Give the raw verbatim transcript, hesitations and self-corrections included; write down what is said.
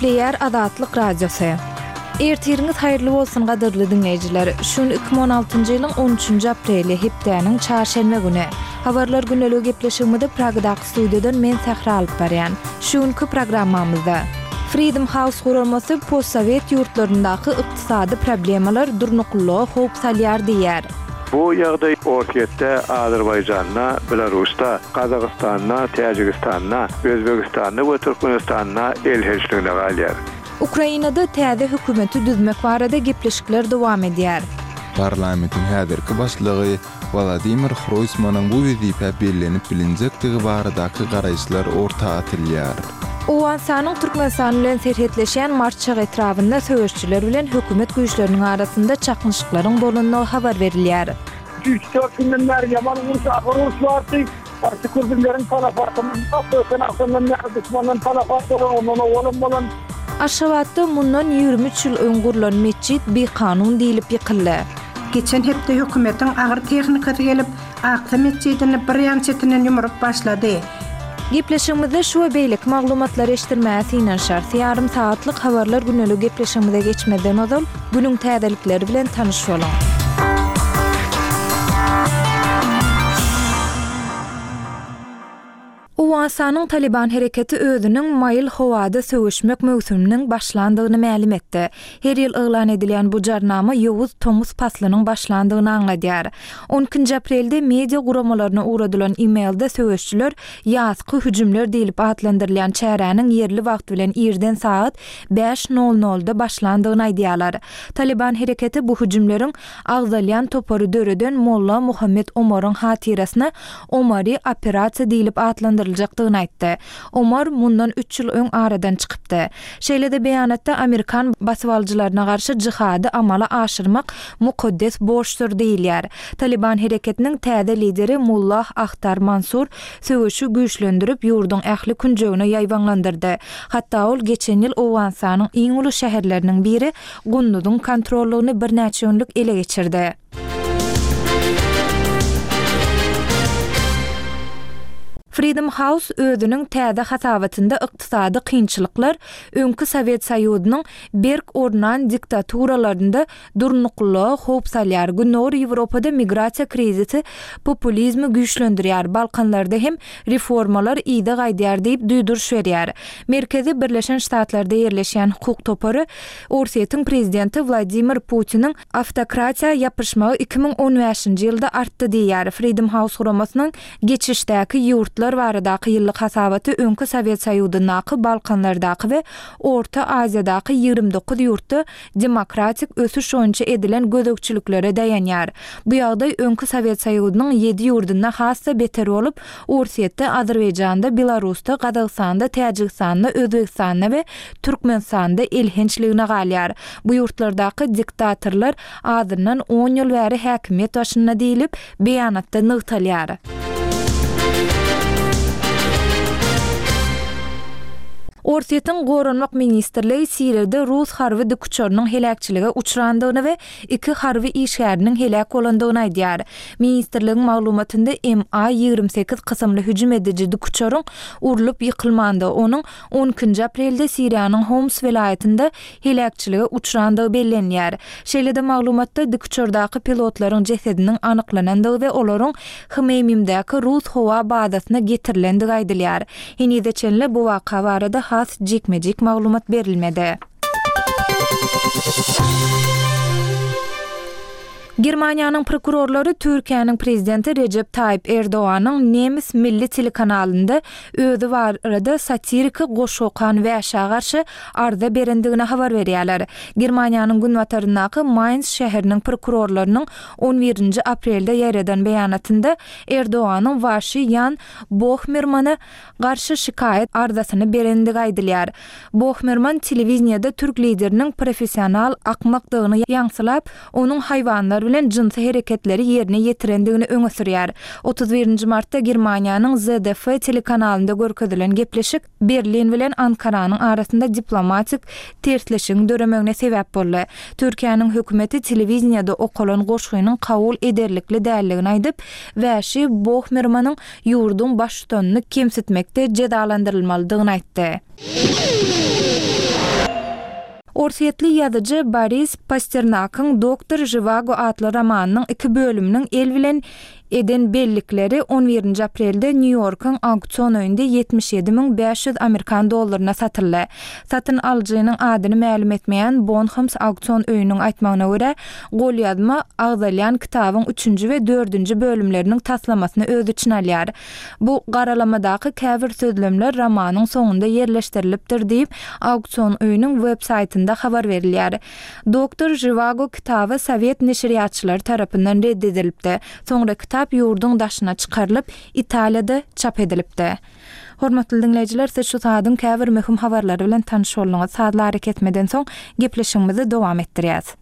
Gepleýär Azatlyk Radiosy. Ertiriňiz haýyrly bolsun gadyrly diňleýjiler. Şu gün iki müň on altynjy ýylyň on üçünji apreli, hepdäniň çarşenbe güni. Habarlar gündeligi gepleşigimizi Pragadaky studiýadan men Sähra alyp barýan. Şu günki programmamyzda Freedom House guramasy postsowet ýurtlaryndaky ykdysady problemalar durnuklylyga howp salýar diýýär. Bu ýagdaý Orsýetde, Azerbaýjanda, Belarusda, Gazagystanda, Täjigistanda, Özbegistanda we Türkmenistanda elhençligine galýar. Ukrainada täze hökümeti düzmek barada gepleşikler dowam edýär. Parlamentiň häzirki başlygy Wolodymyr Hroýsmanyň bu wezipä bellenip bilinjekdigi baradaky garaýyşlar orta atylýar. Owganystanyň Türkmenistan bilen serhetleşýän Marçak etrabynda söweşçiler bilen hökümet güýçleriniň arasynda çaknyşyklaryň bolandygy habar berilýär. Üç-dört günden bäri ýaman uruş, agyr uruş bardy. Şükür bizleriň talafatymyz ýok. Öten agşamdan bäri duşmandan talafat bolan, ondan owalam bolan. Aşgabatda mundan ýigrimi üç ýyl öň gurlan metjit bikanun diýlip ýykyldy. Geçen hepde hökümetiň agyr tehnikasy gelip, Aksa metjidini bir ýan çetinden ýumrup başlady. Gepleşigimizde şu we beýleki maglumatlary eşitdirmäge synanyşarys. Ýarym sagatlyk habarlar gündelik gepleşigimize geçmezden ozal, günüň täzelikleri bilen tanyş boluň. Owganystanyň Taliban hereketi özüniň maýyl howada söweşmek möwsüminiň başlandygyny mälim etdi. Her ýyl yglan edilýän bu jarnama ýowuz tomus paslynyň başlandygyny aňladýar. On ikinji aprelde media guramalaryna ugradylan e-mailde söweşçiler ýazky hüjümler diýlip atlandyrylýan çäräniň ýerli wagt bilen irden sagat bäş nol nolda başlandygyny aýdýarlar. Taliban hereketi bu hüjümleriň agzalýan topary döreden Molla Muhammed Omaryň hatyrasyna Omary operasiýa diýlip atlandyryljakdygyny aýtdy. Omar mundan üç ýyl öň aradan çykypdy. Şeýle-de beýanatda Amerikan basybalyjylaryna garşy jihady amala aşyrmak mukaddes borçdur diýilýär. Taliban hereketiniň täze lideri Mullah Ahtar Mansur söweşi güýçlendirip, ýurduň ähli künjegine ýaýbaňlandyrdy. Hatda ol geçen ýyl Owganystanyň iň uly şäherleriniň biri Gunduzyň kontrollygyny birnäçe günlük ele geçirdi. Freedom House özüniň täze hasabatynda ykdysady kynçylyklar öňki Sowet Soýuzynyň berk ornan diktaturalarynda durnuklylyga howp salýar. Gündogar Ýewropada migrasiýa krizisi populizmi güýçlendirýär. Balkanlarda hem reformalar yza gaýdýar diýip duýduryş berýär. Merkezi Birleşen Ştatlarda ýerleşýän hukuk topary Orsýetiň prezidenti Wladimir Putiniň awtokratiýa ýapyşmagy iki müň on bäşinji ýylda artdy diýýär. Freedom House guramasynyň geçişdäki ýurtlar baradaky ýyllyk hasabaty öňki Sowet Soýuzyndaky, Balkanlardaky we Orta Aziýadaky ýigrimi dokuz ýurtda demokratik ösüş boýunça edilen gözegçiliklere daýanýar. Bu ýagdaý öňki Sowet Soýuzynyň ýedi ýurdunda has-da beter bolup, Orsýetde, Azerbaýjanda, Belarusda, Gazagystanda, Täjigistanda, Özbegistanda we Türkmenistanda elhençligine galýar. Bu ýurtlardaky diktatorlar azyndan on ýyl bäri häkimiýet başynda diýlip, beýanatda nygtalýar. Orsýetiň Goranmak ministrligi Siriýada rus harby dikuçarynyň heläkçilige uçrandygyny we iki harby işgäriniň heläk bolandygyny aýdýar. Ministrligiň maglumatynda M A ýigrimi sekiz kysymly hüjüm ediji dikuçaryň urlup ýykylmandygy, onuň on ikinji aprelde Siriýanyň Homs welaýatynda heläkçilige uçrandygy bellenýär. Şeýle-de maglumatda dikuçardaky pilotlaryň jesediniň anyklanandygy we olaryň Hmeýmimdäki rus howa bazasyna getirilendigi aýdylýar. Henize çenli bu waka barada has jikme-jik maglumat berilmedi. Germaniýanyň prokurorlary Türkiýäniň prezidenti Rejep Taýyp Erdoganyň Nemes milli telekanalynda özi barada satiriki goşgy okan wäşä garşy arza berendigini habar berýärler. Germaniýanyň günbataryndaky Mainz şäheriniň prokurorlarynyň on birinji aprelde ýaýradan beýanatynda Erdoganyň Waşi Ýan Bohmermana garşy şikaýat arzasyny berendigi aýdylýar. Bohmerman telewiziyada türk lideriniň professional akmakdygyny ýaňsylap, onuň haýwanlar bilen jynsy hereketleri ýerine ýetirendigini öňe sürýär. Otuz birinji martda Germaniýanyň Z D F telekanalynda görkezilen gepleşik Berlin bilen Ankaranyň arasynda diplomatik tersleşigiň döremegine sebäp boldy. Türkiýäniň hökümeti telewiziyada okalan goşgynyň kabul ederlikli dälligini aýdyp, Wäşi Bohmermanyň ýurduň baştutanyny kemsitmekde jezalandyrylmalydygyny aýtdy. Orsýetli ýazyjy Boris Pasternakyň Doktor Žiwago atly romanynyň iki bölüminiň el bilen eden bellikleri on birinji aprelde Nýu-Ýorkuň auksion öýünde ýetmiş ýedi müň bäş ýüz amerikan dollaryna satyldy. Satyn alyjynyň adyny mälim etmeýän Bonhams auksion öýüniň aýtmagyna görä, golýazma agzalýan kitabyň üçünji we dördünji bölümleriniň taslamasyny öz içine alýar. Bu garalamadaky käbir sözlemler romanyň soňunda ýerleşdirilipdir diýip, auksion öýüniň web saýtynda habar berilýär. Doktor Žiwago kitaby sowet neşirýatçylary tarapyndan red edilipdi. Soňra kitap ýurduň daşyna çykarylyp, Italiýada çap edilipdi. Hormatly diňleýjiler, siz şu saadyň käbir möhüm habarlary bilen tanyş bolduňyz. Sazly arakesmeden soň gepleşigimizi dowam etdirýäs.